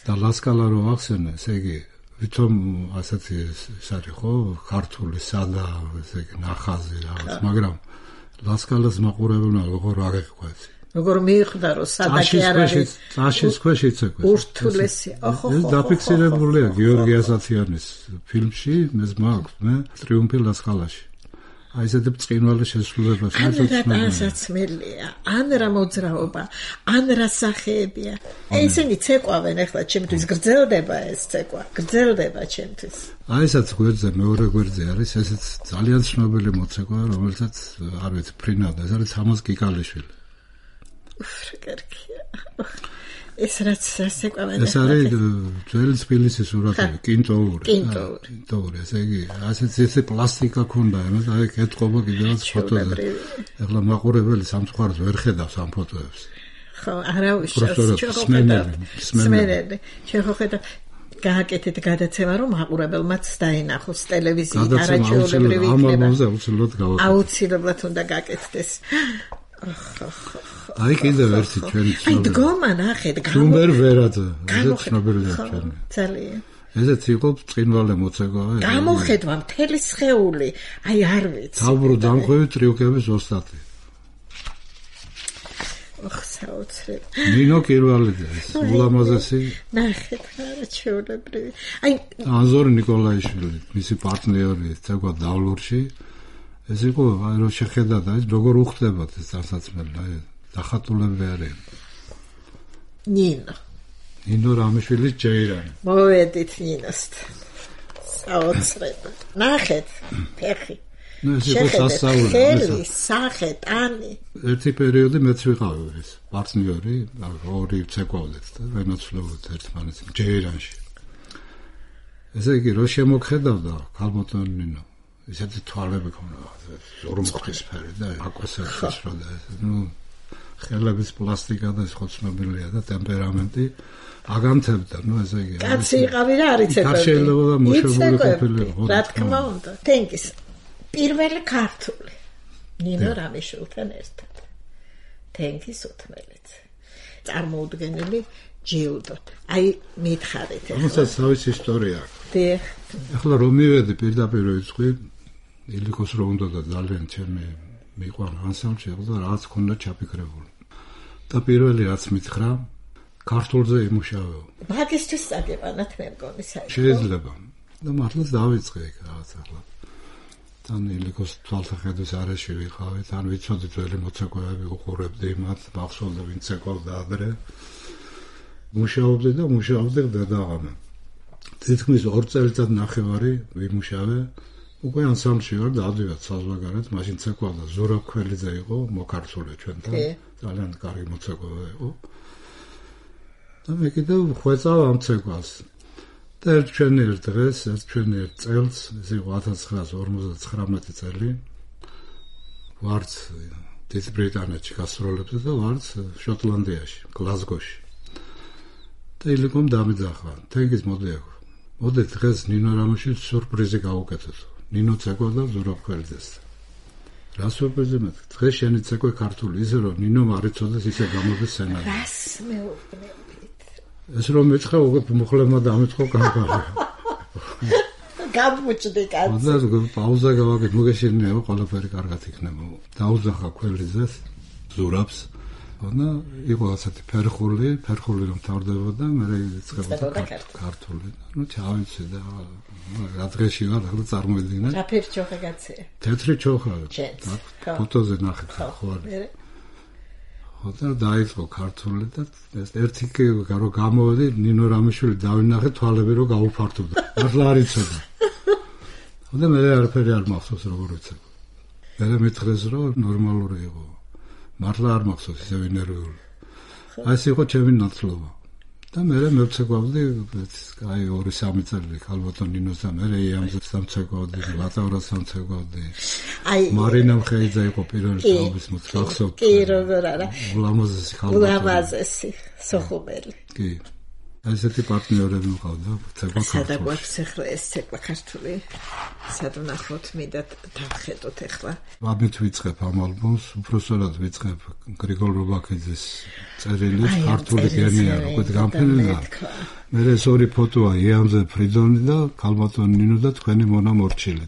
და ლასკალა რო ახსენე, ესე იგი, ვითომ ასეთი ეს არის ხო, ქართული სადა, ესე იგი, ნახაზი რაღაც, მაგრამ ლასკალას მაყურებელმა როგორ აღიქვეს. როგორ მიხვდა რომ სადაკი არ არის. წაშის ქვეშ იცეკვეს. ურთულესი. ოხო. ეს დაფიქსირებულია გიორგი ასათიანის ფილმში, მეს მაქვს, მე ტრიუმფი ლასკალაში. აი ესეთი ბწყინვალე შესრულება შესაძლებელია. ან რა მოძრაობა, ან რა სახეებია. ესენი ცეკვავენ ახლა ჩემთვის გრძელდება ეს ცეკვა. გრძელდება ჩემთვის. აი ესაც გვერდზე მეორე გვერდზე არის ესეც ძალიან ცნობილი მოცეკვა, რომელსაც არ ვიცი ფრინავდა, ეს არის თამაზ კიკალიშვილი. კარგია. ეს რაც ცეკვავენ. ეს არის ძველი თბილისის სურათები, კინტოური. კინტოური, ესე იგი, ასეთ ესე პლასტიკა ქონდა, აი ეთყობა კიდევაც ფოტოზე. ახლა მაყურებელი სამწუხაროდ ვერ ხედავს ამ ფოტოებს. ხო, არა უშავს, სმენელი. შეხედა გააკეთეთ გადაცემა, რომ მაყურებელმაც დაინახოს ტელევიზიით, არაჩვეულებრივი იქნება. აუცილებლად უნდა გააკეთდეს. აი კიდევ ერთი ჩვენი აი დგომა ნახეთ ჯუმბერ ვერაძე ეს ცნობილია ჩვენი ძალიან ესეც იყო წინვალე მოცეკვა გამოხედვა მთელი სხეული აი არ ვიცი თავბრო დამხვევი ტრიუკების ოსტატი ოხ საოცრად ნინო კირვალიძე ულამაზესი ნახეთ არაჩვეულებრივი აი ანზორი ნიკოლაიშვილი მისი პარტნიორი ცეკვა დავლურში ეს იყო აი რო შეხედა და ეს როგორ უხდებათ ეს დასაცმელი აი დახატულები არის ნინო რამიშვილის ჯეირანი მოვედით ნინოსთან საოცრად ნახეთ ფეხი ნუ ეს იყო სასწაული. ხელი, სახე, ტანი. ერთი პერიოდი მეც ვიყავი ეს პარტნიორი, ორი ცეკვავდეთ და ვენაცვლებოდით ერთმანეთს ჯეირანში. ესე იგი, რო შემოგხედავდა ქალბატონი ნინო, ისეთი თვალები ქონდა, ზურმუხტისფერი და აკვესერხის რო და ნუ ხელების პლასტიკა და ხო ცნობილია და ტემპერამენტი აგანთებდა, ნუ ესე იგი. კაცი იყავი რა არ იცეკვებდი. არ შეიძლება და მოშებული ყოფილიყო. რა თქმა უნდა. თენგის. პირველი ქართული ნინო რამიშვილთან ერთად. თენგის უთმელეთ. წარმოუდგენელი ჯილდო. აი მითხარით ახლა. ამასაც თავის ისტორია აქვს. დიახ. ახლა რომ მივედი პირდაპირ ვიწყი, ილიკოს რო უნდა და ძალიან ჩემი მიყვანა ანსამბლი და რაღაც ქონდა ჩაფიქრებული. და პირველი რაც მითხრა, ქართულზე იმუშავეო. მაგისტრის აგებანათ მე მგონი საერთოდ. შეიძლება. და მართლაც დავიწყე იქ რაღაც ახლა. თან ილიკოს თვალსაჩინოს არეში ვიყავი, თან ვიცოდით ველი მოცეკვავები უყურებდი მათ, მახსოვდა ვინც ეკავდა ადრე. მუშაობდი და მუშაობდი დედაღამე. თითქმის 2 წელიწად ნახევარი ვიმუშავე. უკვე ანსამბლში ვარ და ავდივარ საზღვარგარეთ, მაშინ ცეკვავდა ზურაბ ქველიძე იყო, მოკარცული ჩვენთან, ძალიან კარგი მოცეკვავა იყო. და მე კიდევ ხვეწავ ამ ცეკვას. და ერთ დღეს, ერთ წელს, ეს იყო 1959 წელი, ვართ დიდ ბრიტანეთში გასტროლებდა და ვართ შოტლანდიაში, გლაზგოში. და ილიკომ დამიძახა, თენგის მოდი აქ. მოდი დღეს ნინო რამიშვილს სიურპრიზი გავუკეთოთ. ნინო ცეკვავდა ზურაბ ქველიძეს. რა სიურპრიზი მე? დღეს შენი ცეკვე ქართული, ისე რომ ნინომ არ იცოდეს ისე გამოდის სცენარი. რას მეუბნებით? ეს რომ მეცხრა უკვე მოხლებმა დამეწყო კამპანია. გამუჭდი კაცი. და პაუზა გავაკეთე, მოგეშინეო, ყველაფერი კარგად იქნება. დაუძახა ქველიძეს, ზურაბს. და იყო ასეთი ფერხული რომ თავდებოდა, მე იწყებოდა ქართული. ნუ ჩავიცი და რა დღეში ვარ, ახლა წარმოიდგინე. რა ფერი ჩოხა გაცია? თეთრი ჩოხა. ფოტოზე ნახეთ ხო არის. ხოდა დაიწყო ქართული და ეს ერთი რო გამოვედი, ნინო რამიშვილი დავინახე თვალები რო გაუფართოვდა. ახლა არ იცოდა. ხოდა მე არაფერი არ მახსოვს როგორ ვიცი. მე მითხრეს რომ ნორმალური იყო. მართლა არ მახსოვს ისე ნერვიული. აი ეს იყო ჩემი ნაცლობა. და მე მევცეკვავდი, აი 2-3 წელი ქალბატონ ნინოს და მე იამზე სამცეკვავდი, ლატავრას სამცეკვავდი. აი მარინა მხეიძე იყო პირველი თაობის მოწახსოვ. კი, როგორ არა. ულამაზესი ქალბატონი. ულამაზესი, სოხუმელი. კი. ესეთი პარტნიორები მყავდა, ცეკვა ქართული. სადა გვაქვს ახლა ეს ცეკვა ქართული? სად ვნახოთ, მინდა დავხედოთ ახლა. ამით ვიწყებ ამ ალბომს, უბრალოდ ვიწყებ გრიგოლ რობაქიძის წერილის ქართული გენია, უკვე გამფენილა. მე ეს ორი ფოტოა, იამზე ფრიდონი და ქალბატონ ნინო და თქვენი მონა მორჩილი.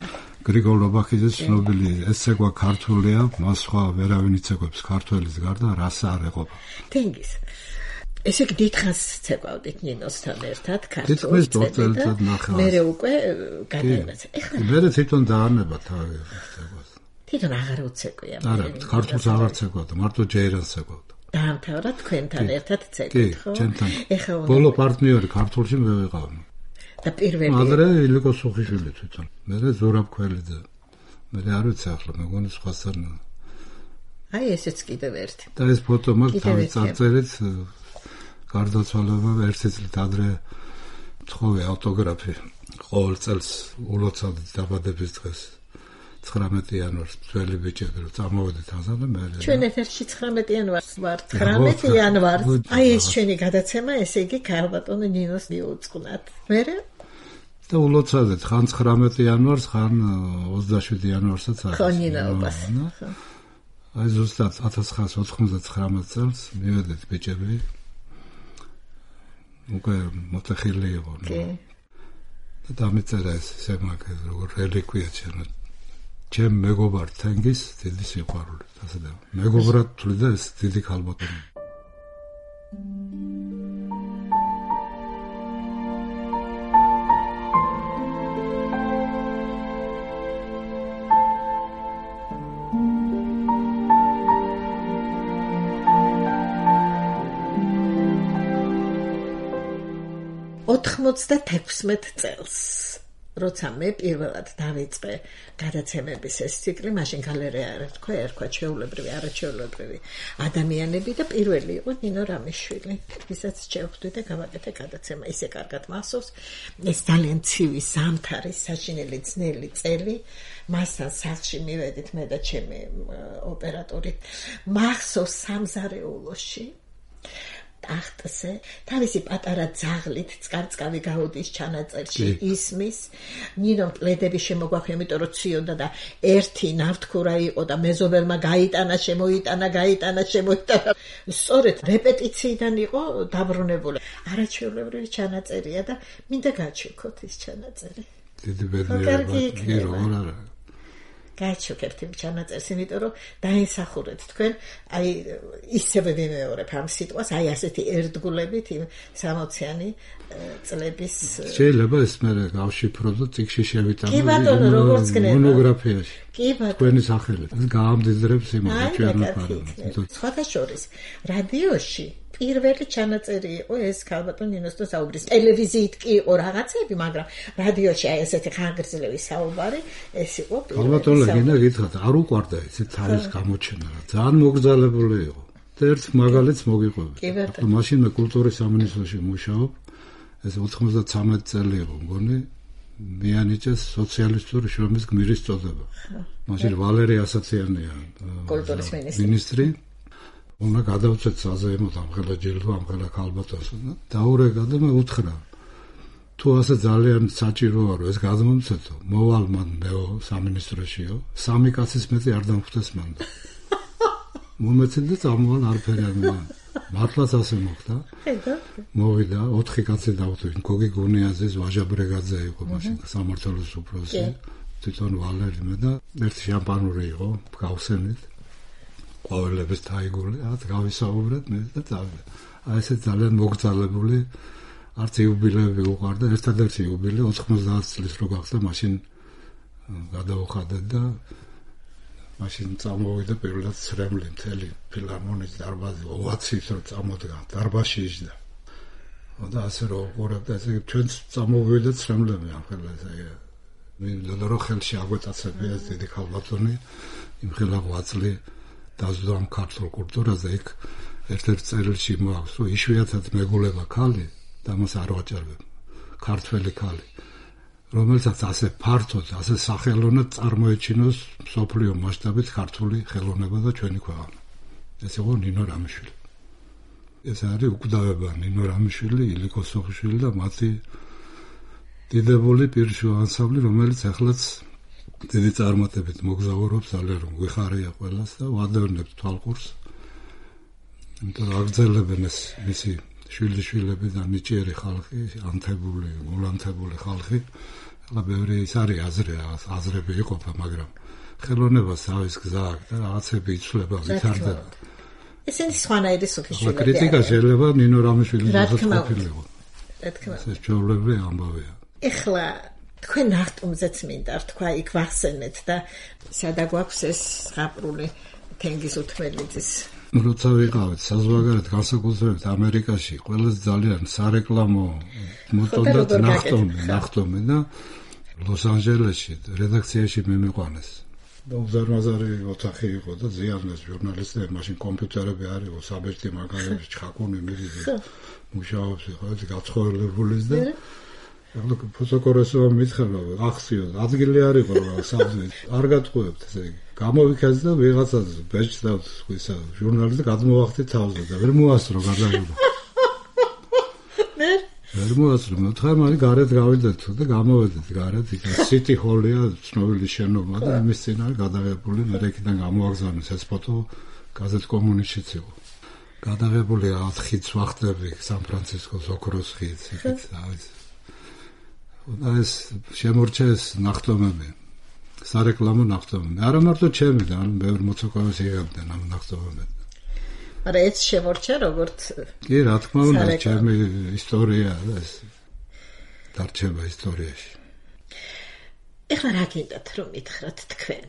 გრიგოლ რობაქიძის ცნობილი ეს ცეკვა ქართულია, მას სხვა ვერავინ იცეკვებს ქართველის გარდა, რას არ ეყოფა. თენგის. ესე იგი დიდხანს ცეკვავდით ნინოსთან ერთად ქართულს. თითქმის 2 წელიწად ნახევარს. მე უკვე გადაინაცე. ეხლა მე თვითონ დაანება თავი ცეკვას. თვითონ აღარ უცეკვია. არა, ქართულს აღარ ცეკვავდა, მარტო ჯეირანს ცეკვავდა. დაამთავრა თქვენთან ერთად ცეკვით, ხო? კი, ჩემთან. ეხლა ბოლო პარტნიორი ქართულში მე ვიყავ. და პირველი ადრე ილიკო სუხიშვილი თვითონ. მე ზურაბ ქველიძე. მე არ ვიცი ახლა, მეგონი სხვასთან. აი ესეც კიდევ ერთი. და ეს ფოტო მაგ თავი წარწერით გარდაცვალება ერთი წლით ადრე თხოვე ავტოგრაფი ყოველ წელს ულოცავდით დაბადების დღეს 19 იანვარს ძველი ბიჭები რომ წამოვედით ასა და მე ჩვენ ეთერში 19 იანვარს ვარ 19 იანვარს აი ეს ჩვენი გადაცემა ესე იგი ქალბატონ ნინოს მიუძღვნათ მე და ულოცავდით ხან 19 იანვარს ხან 27 იანვარსაც არის ხო ნინაობას აი ზუსტად 1999 წელს მივედით ბიჭები უკვე მოტეხილი იყო. და დამეწერა ეს სემაკე როგორ რელიკვია ჩემ მეგობარ თენგის დიდი სიყვარული. ასე და მეგობრად თვლი და ეს დიდი ქალბატონი. ოთხმოცდათექვსმეტ წელს როცა მე პირველად დავიწყე გადაცემების ეს ციკლი, მაშინ გალერეა ერქვა ჩვეულებრივი, არაჩვეულებრივი ადამიანები და პირველი იყო ნინო რამიშვილი. ვისაც შევხვდი და გავაკეთე გადაცემა, ისე კარგად მახსოვს. ეს ძალიან ცივი, ზამთარი, საშინელი ძნელი წელი. მასთან სახლში მივედით მე და ჩემი ოპერატორი. მახსოვს სამზარეულოში ტახტზე თავისი პატარა ძაღლით წყარწყავი გაუდის ჩანაწერში ისმის ნინომ პლედები შემოგვახვია, იმიტომ რომ ციოდა და ერთი ნავთქურა იყო და მეზობელმა გაიტანა, შემოიტანა. სწორედ რეპეტიციიდან იყო დაბრუნებული. არაჩვეულებრივი ჩანაწერია და მინდა გაჩვიქოთ ის ჩანაწერი. დიდი ბედნიერება. გაჩვენებთ იმ ჩანაწერს, იმიტომ რომ დაინსახურეთ თქვენ, აი ისევე ვიმეორებ ამ სიტყვას, აი ასეთი ერთგულებით იმ 60-იანი წლების შეიძლება ეს მე გავშიფრო და წიგში შევიტანო. კი ბატონო, როგორც გნება. მონოგრაფიაში. კი ბატონო. თქვენი სახელით. ეს გაამდიდრებს იმას ჩვენებად. სხვათა შორის, რადიოში პირველი ჩანაწერი იყო ეს ქალბატონ ნინოს და საუბრის. ტელევიზიით კი იყო რაღაცები, მაგრამ რადიოში აი ესეთი ხანგრძლივი საუბარი, ეს იყო პირველი. ქალბატონო გინდა გითხრათ, არ უყვარდა ეს თავის გამოჩენა. ძალიან მოგრძალებული იყო. და ერთ მაგალითს მოგიყვებით. მაშინ მე კულტურის სამინისტროში მუშაობ. ეს 93 წელი იყო, მგონი. მიანიჭეს სოციალისტური შრომის გმირის წოდება. მაშინ ვალერი ასაციანია კულტურის მინისტრი. უნდა გადავწეთ საზეიმოდ ამხელა ჯილდო, ამხელა ქალბატონს. დაურეკა და მე უთხრა. თუ ასე ძალიან საჭიროა რომ ეს გადმომცეთო, მოვალ მან მეო სამინისტროშიო, 3 კაცის მეტი არ დამხვდეს მან. მომეცეთ და წამოვალ არაფერი არ მან. მართლაც ასე მოხდა. მოვიდა 4 კაცი დავხვდნენ. გოგი გუნიაძის, ვაჟა ბრეგაძე იყო მაშინ სამმართველოს უფროსი. თვითონ ვალერი მე და ერთი შამპანური იყო, გავხსენით. ყვავილების თაიგული, გავისაუბრეთ მე და წავიდა. აი ესე ძალიან მოგრძალებული, არც იუბილეები უყვარდა, ერთადერთი იუბილე 90 წლის რო გახდა, მაშინ გადავუხადეთ და მაშინ წამოვიდა პირველად ცრემლი მთელი ფილარმონიის დარბაზი, ოვაციით რო წამოდგა, დარბაზში იჯდა. და ასე რო უყურებდა, ესე ჩვენც წამოვიდა ცრემლები ამხელა ესე. მინდოდა რომ ხელში აგვეტაცებია ეს დიდი ქალბატონი, იმხელა ღვაწლი დაზვდა ამ ქართულ კულტურაზე. იქ ერთ-ერთ წერილში მოაქვს, რომ იშვიათად მეგულება ქალი და მას არ ვაჭარბებ. ქართველი ქალი, რომელსაც ასე ფართოდ, ასე სახელოვნად წარმოეჩინოს მსოფლიო მასშტაბით ქართული ხელოვნება და ჩვენი ქვეყანა. ეს იყო ნინო რამიშვილი. ეს არის უკვდავება ნინო რამიშვილი, ილიკო სოხიშვილი და მათი დიდებული პირშო ანსამბლი, რომელიც ახლაც დიდი წარმატებით მოგზაურობს, ძალიან რომ გვიხარია ყველას და ვადევნებთ თვალყურს. იმიტომ რომ აგრძელებენ ეს მისი შვილიშვილები და ნიჭიერი ხალხი, ანთებული, გულანთებული ხალხი. ახლა ბევრი ის არის აზრები იყოფა, მაგრამ ხელოვნებას თავის გზა აქვს და რაღაცები იცვლება, ვითარდება. ესენი სხვანაირი სოფიშვილები. კრიტიკა შეიძლება ნინო რამიშვილის ყოფილიყო. რა თქმა უნდა. ეს ჩვეულებრივი ამბავია. ეხლა თქვენ ნახტომზეც მინდა თქვა იქ ვახსენეთ და სადა გვაქვს ეს ზღაპრული თენგიზ უთმელიძის. როცა ვიყავით საზღვარგარეთ განსაკუთრებით ამერიკაში, ყველაზე ძალიან სარეკლამო მოტონდა ნახტომი და ლოს-ანჯელესში რედაქციაში მიმიყვანეს. და უზარმაზარი ოთახი იყო და ზიანდეს ჟურნალისტები, მაშინ კომპიუტერები არ იყო, საბეჭდი მაგალითად ჩხაკუნი მიდიდი მუშაობს იყო, ეს გაცხოველებულის და ახლა ფოტოკორესო მითხება, ახციო, ადგილი არ იყო რა საბძვით. არ გატყუებთ ესე იგი. გამოვიქაც და ვიღაცას ბეჭდს და ისა ჟურნალისტი გადმოვახდი თავზე და ვერ მოასწრო გადაგება. ვერ მოასწრო, მოთხარ მალე გარეთ გავიდეთ და გამოვედით გარეთ, იქ სიტი ჰოლია, ცნობილი შენობა და იმის წინ არის გადაღებული, მე იქიდან გამოაგზავნეს ეს ფოტო გაზეთ კომუნისტშიც იყო. გადაღებული ხიდს ვახტები, სან-ფრანცისკოს ოქროს ხიდს, იქით არის. და ეს შემორჩეს ნახტომები. სარეკლამო ნახტომები. არა მარტო ჩემი და ბევრი მოცეკვავეს იღებდნენ ამ ნახტომებად. მაგრამ ეს შემორჩა როგორც კი, რა თქმა უნდა, ჩემი ისტორია და ეს დარჩება ისტორიაში. ეხლა რა გინდათ რომ მითხრათ თქვენ?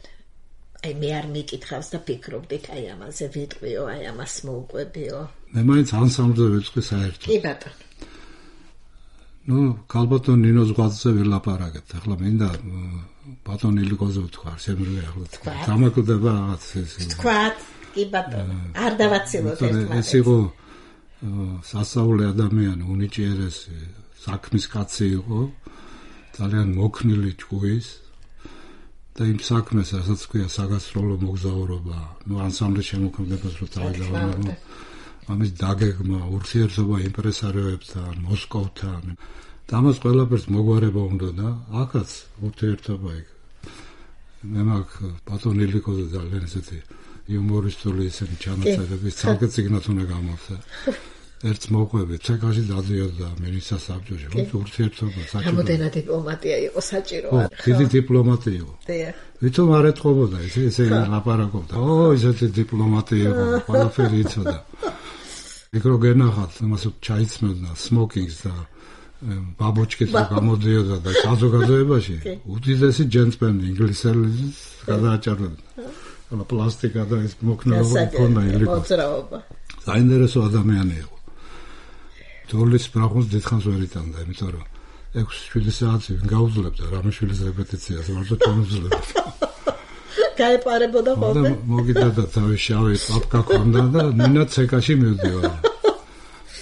აი მე არ მიკითხავს და ფიქრობდით აი ამაზე ვიტყვიო, აი ამას მოუყვებიო. მე მაინც ანსამბლზე ვიტყვი საერთოდ. კი ბატონო. ნუ ქალბატონ ნინოს ღვაწლზე ვილაპარაკეთ. ახლა მინდა ბატონ ილიკოზე ვთქვა, შემიძლია ახლა თქვა. დამაკვირდება რაღაც ეს. თქვათ, კი ბატონო, არ დავაცილოთ ერთმანეთს. ეს იყო სასწაული ადამიანი, უნიჭიერესი, საქმის კაცი იყო, ძალიან მოქნილი ჭკუის და იმ საქმეს, რასაც ქვია საგასტროლო მოგზაურობა, ნუ ანსამბლის შემოქმედებას რო წავიდა, ამის დაგეგმა, ურთიერთობა იმპრესარიოებთან, მოსკოვთან. და ამას ყველაფერს მოგვარება უნდა და აქაც ურთიერთობა იქ. მე მაგ ბატონ ილიკოზე ძალიან ესეთი იუმორისტული ესენი ჩანაწერები, ცალკე წიგნად უნდა გამოვსა. ერთს მოყვები, ცეკაში დადიოდა მინისტრთა საბჭოში, ურთიერთობა საჭირო. რამოდენად დიპლომატია იყო საჭიროა. დიდი დიპლომატი იყო. ვითომ არ ეთყობოდა ესე ლაპარაკობდა. ისეთი დიპლომატი იყო, ყველაფერი იცოდა. მიკრო გენახათ, იმას ჩაიცმევდა სმოკინგს და ბაბოჩკით გამოდიოდა და საზოგადოებაში უდიდესი ჯენტლმენი ინგლისელის გადააჭარბებდა. ანუ პლასტიკა და ეს მოქნილობა ქონდა ილიკოს. საინტერესო ადამიანი იყო. ძოლის ბრაღუნს დიდხანს ვერ იტანდა, იმიტომ რომ 6-7 საათი გაუძლებდა რამიშვილის რეპეტიციას, მარტო ჩამოძლებდა. გაეპარებოდა ხოლმე. მოგიდოდა თავი შავი პაპკა ქონდა და ნინა ცეკაში მივდივარ.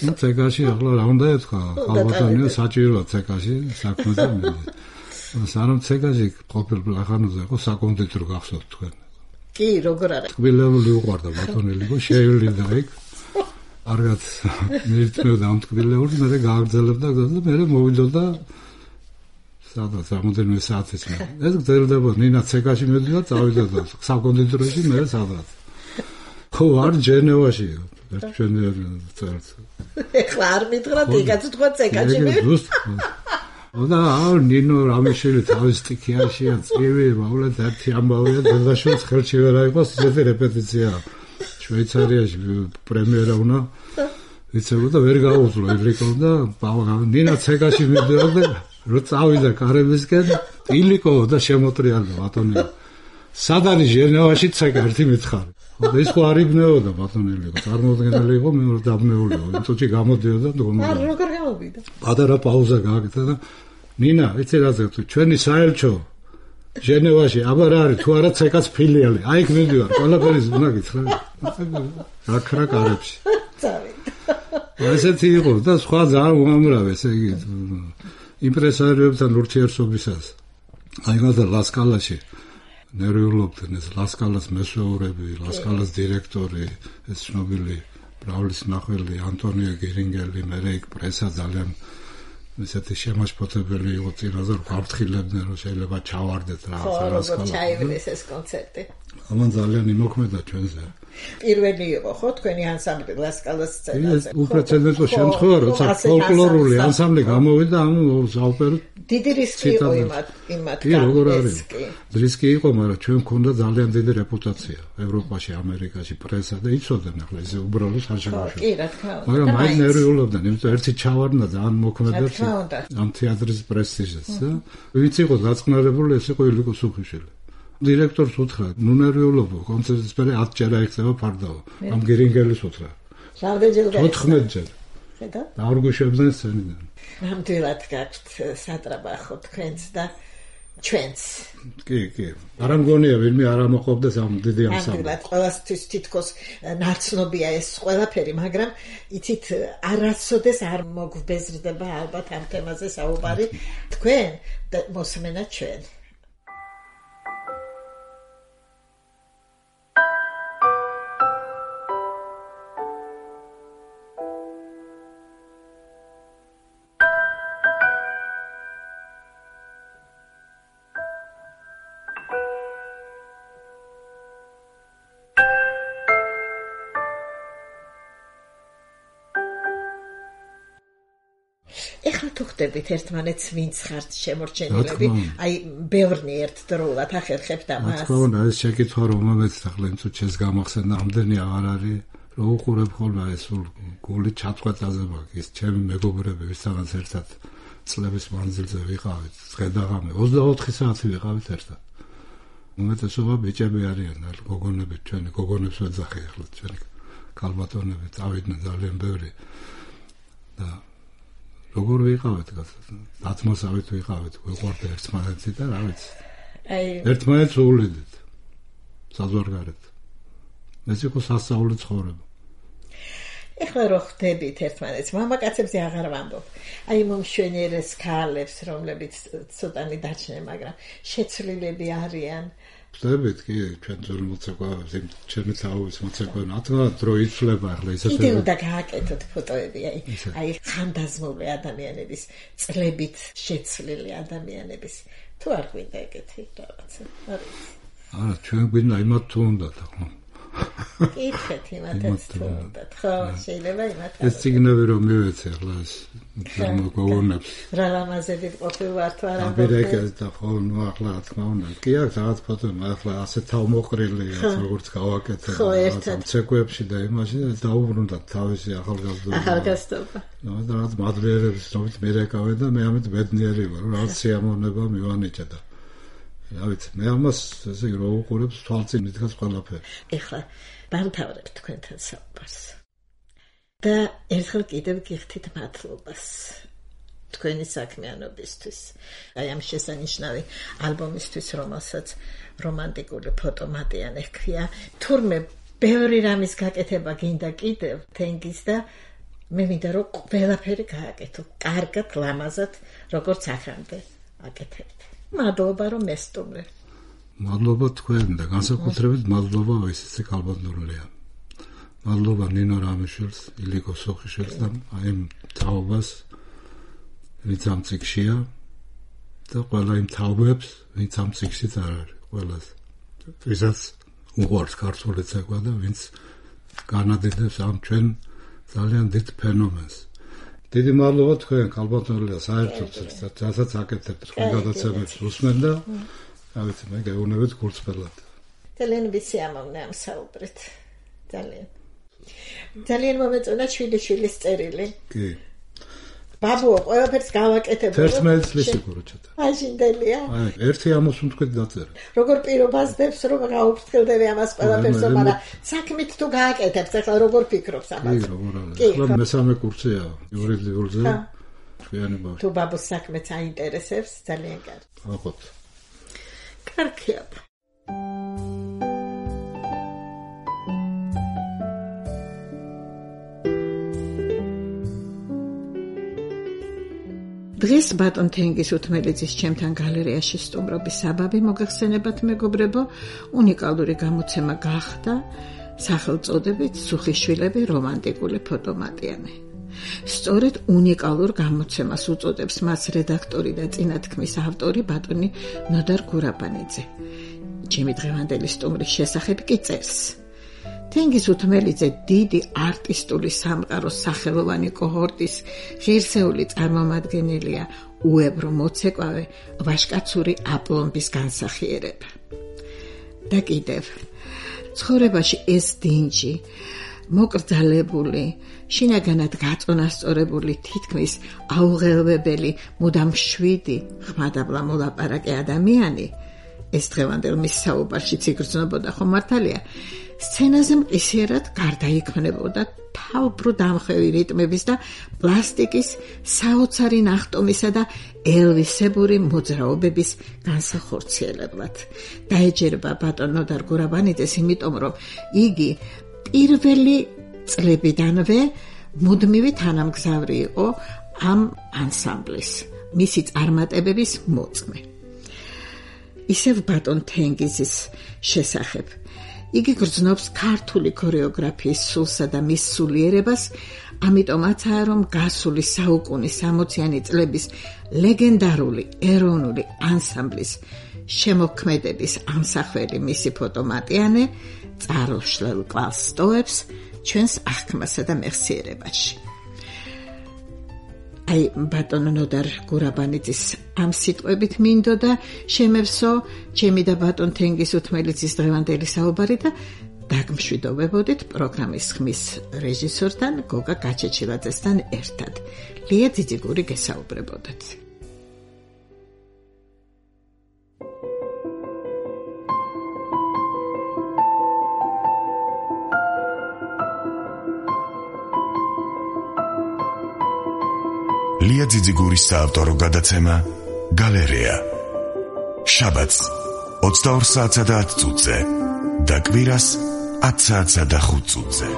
ნუ ცეკაში ახლა რა უნდა ეთქვა, ხალბატონია საჭიროა ცეკაში საქმე და მიდი. სანამ ცეკაში ყოფილ ბლახანოზე იყო საკონდიტრო გახსოვთ თქვენ. კი, როგორ არა. ტკბილეული უყვარდა ბატონელი იყო, შეევლინდა იქ. არგაც მიირთმევდა ამ ტკბილეულს, მე გააგრძელებდა და მე მოვიდოდა სადაც რამოდენიმე საათის მე. ეს გრძელდება, ნინა ცეკაში მივდივარ, წავიდოდა საკონდიტროში, მე სადაც. ხო, არ ჯენევაში ერთ ჩვენერ წერს. ეხლა არ მითხრათ, იგაც თქვა ცეკაში მე. და ნინო რამიშვილი თავის სტიქიაშია, წივი, მავლეთ ერთი ამბავია, დედაშვილს ხელში ვერ აიღოს, ისეთი რეპეტიცია. შვეიცარიაში პრემიერა უნდა ვიცებო და ვერ გაუძლო ილიკო და ნინა ცეკაში მივდივარ და რო წავიდა კარებისკენ ილიკო და შემოტრიალდა ბატონი. სად არის ჟენევაში ცეკა ერთი მითხარი. ეს ხო არ იბნეოდა ბატონი ილიკო, წარმოუდგენელი იყო, მე ვერ დაბნეული ვარ. წუთი გამოდიოდა და არ როგორ გამოვიდა. პატარა პაუზა გააკეთა და ნინა, იცი რაზე თუ ჩვენი საელჩო ჟენევაში აბა რა არის თუ არა ცეკას ფილიალი. აი იქ მივდივარ, ყველაფერი უნდა გითხრა. აკრა კარებში. ესეთი იყო და სხვა ძალიან უამრავი, ესე იგი იმპრესარიოებთან ურთიერთობისას. აი მაგალითად ლასკალაში ნერვიულობდნენ ეს ლასკალას მესვეურები, ლასკალას დირექტორი, ეს ცნობილი ბრაულის ნახველი ანტონიო გერინგელი, მერე იქ პრესა ძალიან ესეთი შემაშფოთებელი იყო წინაზე რომ გავფრთხილებდნენ რომ შეიძლება ჩავარდეთ რაღაცა ლასკალა. ხო, ჩაიგდეს ეს კონცერტი. ამან ძალიან იმოქმედა ჩვენზე. პირველი იყო ხო თქვენი ანსამბლი ლასკალას სცენაზე. უპრეცედენტო შემთხვევა, როცა ფოლკლორული ანსამბლი გამოვიდა ამ საოპერო დიდი რისკი იყო იმათ. კი, როგორ არის? რისკი იყო, მაგრამ ჩვენ გვქონდა ძალიან დიდი რეპუტაცია ევროპაში, ამერიკაში, პრესა და იცოდნენ ახლა ეს უბრალოდ არ შემოშვა. კი, რა თქმა უნდა. მაგრამ მაინც ნერვიულობდნენ, იმიტომ ერთი ჩავარდნა ძალიან მოქმედებს ამ თეატრის პრესტიჟს და ვინც იყო დაწყნარებული, ეს იყო ილიკო სუხიშვილი. დირექტორს უთხრა, ნუ ნერვიულობო, კონცერტის პერე 10 ჯერ აიხსნება ფარდაო. ამ გერინგელის უთხრა. რამდენჯერ გაიხსნა? 14 ჯერ. ხედა? და არ გვიშვებდნენ სცენიდან. ნამდვილად გაქვთ სატრაბახო თქვენს და ჩვენს. კი. არ მგონია ვინმე არ ამოყობდეს ამ დიდი ამსამბლს. ნამდვილად ყველასთვის თითქოს ნაცნობია ეს ყველაფერი, მაგრამ იცით არასოდეს არ მოგვბეზრდება ალბათ ამ თემაზე საუბარი თქვენ და მოსმენა ჩვენ. ეხლა თუ ხდებით ერთმანეთს ვინც ხართ შემორჩენილები, აი ბევრნი ერთდროულად ახერხებთ ამას. რა თქმა უნდა, ეს შეკითხვა რომელმეც ახლა იმ წუთს გამახსენდა, ამდენი აღარ არის, რომ უყურებ ხოლმე ეს გული ჩაწყვეტაზე მაგის, ჩემი მეგობრები, ვისთანაც ერთად წლების მანძილზე ვიყავით, დღე-დაღამე 24 საათი ვიყავით ერთად. უმეტესობა ბიჭები არიან, გოგონები, ჩვენი გოგონებს ვეძახი ახლა, ჩვენი ქალბატონები წავიდნენ ძალიან ბევრი და როგორ ვიყავით დათმოსავით ვიყავით გვიყვარდა ერთმანეთი და რა ვიცი ერთმანეთს უვლიდით საზღვარგარეთ ეს იყო სასწაული ცხოვრება ეხლა რო ხდებით ერთმანეთს მამაკაცებზე აღარ ვამბობ აი მომშვენიერეს ქალებს რომლებიც ცოტანი დაჩნენ მაგრამ შეცვლილები არიან ხდებით კი ჩვენ ძველ მოცეკვავებს იმ ჩემი თავის მოცეკვავ ნათლა დრო იცვლება ახლა ისეთი კიდე უნდა გააკეთოთ ფოტოები აი ხანდაზმული ადამიანების წლებით შეცვლილი ადამიანების თუ არ გვინდა ეგეთი რაღაცა არა ჩვენ გვინდა იმათ თუ უნდათ ახლა კითხეთ იმათაც თუ უნდათ ხო შეიძლება იმათ ეს ციგნები რომ მივეცე ახლა ეს მოგონებს რა ლამაზები ყოფილვარ თუ არა აბერეკეს და ხო ნუ ახლა რა თქმა უნდა კი აქვს რაღაც ფოტო ახლა ასე თავმოყრილია როგორც გავაკეთე რაღაც ცეკვებში და იმაში დაუბრუნდათ თავისი ახალგაზრდობა ნუ რაღაც მადლიერების რომელიც მერეკავე და მე ამით ბედნიერი ვარ რაღაც სიამოვნება მივანიჭა და რა ვიცი მე ამას ესე რო უყურებს თვალწინ მიდგას ყველაფერი ეხლა დამთავრებთ თქვენთან საუბარს და ერთხელ კიდევ გიხდით მადლობას თქვენი საქმიანობისთვის აი ამ შესანიშნავი ალბომისთვის რომელსაც რომანტიკული ფოტომატიანე ჰქვია თურმე ბევრი რამის გაკეთება გინდა კიდევ თენგის და მე მინდა რომ ყველაფერი გააკეთო კარგად ლამაზად როგორც ახამდე აკეთებთ მადლობა რომ მესტუმრე მადლობა თქვენ და განსაკუთრებით მადლობა ისეთი კალბანდურლია მადლობა ნინო რამიშვილს ილიკო სოხიშვილს და აი თაობას ვინც ამ ციკშია და ყველა იმ თაობებს ვინც ამ ციკშიც არ არის ყველას ვისაც უყვარს ქართული ცეკვა და ვინც განადიდებს ამ ჩვენ ძალიან დიდ ფენომენს დიდი მადლობა თქვენ კალბანდურლია საერთოდ რასაც აკეთებთ თქვენ გადაცემებს უსმენ და რა ვიცი მე გეუბნებით გულწრფელად ძალიან ვისიამოვნე ამ საუბრით ძალიან მომეწონა შვილიშვილის წერილი კი ბაბუო ყველაფერს გავაკეთებ 11 წლის იგუროჩათა აშინდელია ერთი ამოს უნდქვით დაწერა როგორ პირობასდებს რომ გაუფრთხილდები ამას ყველაფერს მაგრამ საქმით თუ გააკეთებს ახლა როგორ ფიქრობს ამას კი როგორ არის ახლა მესამე კურსია იურიდიულზე ჩვენი ბავშვი თუ ბაბუს საქმეც აინტერესებს ძალიან კარგი აყოთ კარგია დღეს ბატონ თენგის უთმელიძის ჩემთან გალერეაში სტუმრობის საბაბი მოგახსენებათ მეგობრებო უნიკალური გამოცემა გახდა სახელწოდებით სუხიშვილები რომანტიკული ფოტომატიანე სწორედ უნიკალურ გამოცემას უწოდებს მას რედაქტორი და წინათქმის ავტორი ბატონი ნოდარ გურაბანიძე ჩემი დღევანდელი სტუმრის შესახებ კი წერს თენგის უთმელიძე დიდი არტისტული სამყაროს სახელოვანი კოჰორტის ღირსეული წარმომადგენელია უებრო მოცეკვავე ვაშკაცური აპლომბის განსახიერება და კიდევ ცხოვრებაში ეს დინჯი მოკრძალებული შინაგანად გაწონასწორებული თითქმის აუღელვებელი მუდამ შვიდი ხმადაბლა მოლაპარაკე ადამიანი ეს დღევანდელ მის საუბარშიც იგრძნობოდა ხო მართალია სცენაზე მყისიერად გარდაიქმნებოდა თავბრუ დამხვევი რიტმების და პლასტიკის საოცარი ნახტომისა და ელვისებური მოძრაობების განსახორციელებლად. დაეჯერება ბატონ ნოდარ გურაბანიძეს, იმიტომ რომ იგი პირველი წლებიდანვე მუდმივი თანამგზავრი იყო ამ ანსამბლის, მისი წარმატებების მოწმე. ისევ ბატონ თენგიზის შესახებ იგი გრძნობს ქართული ქორეოგრაფიის სულსა და მის სულიერებას, ამიტომაცაა რომ გასული საუკუნის 60-იანი წლების ლეგენდარული ეროვნული ანსამბლის შემოქმედების ამსახველი მისი ფოტომატიანე წარუშლელ კვალს სტოვებს ჩვენს აღქმასა და მეხსიერებაში. აი ბატონ ნოდარ გურაბანიძის ამ სიტყვებით მინდოდა შემევსო ჩემი და ბატონ თენგის უთმელიძის დღევანდელი საუბარი და დაგმშვიდობებოდით პროგრამის ხმის რეჟისორთან გოგა გაჩეჩილაძესთან ერთად. ლია ძიძიგური გესაუბრებოდათ. ლია ძიძიგურის საავტორო გადაცემა გალერეა. შაბათს 22 საათსა და 10 წუთზე და კვირას 10 საათსა და 5 წუთზე.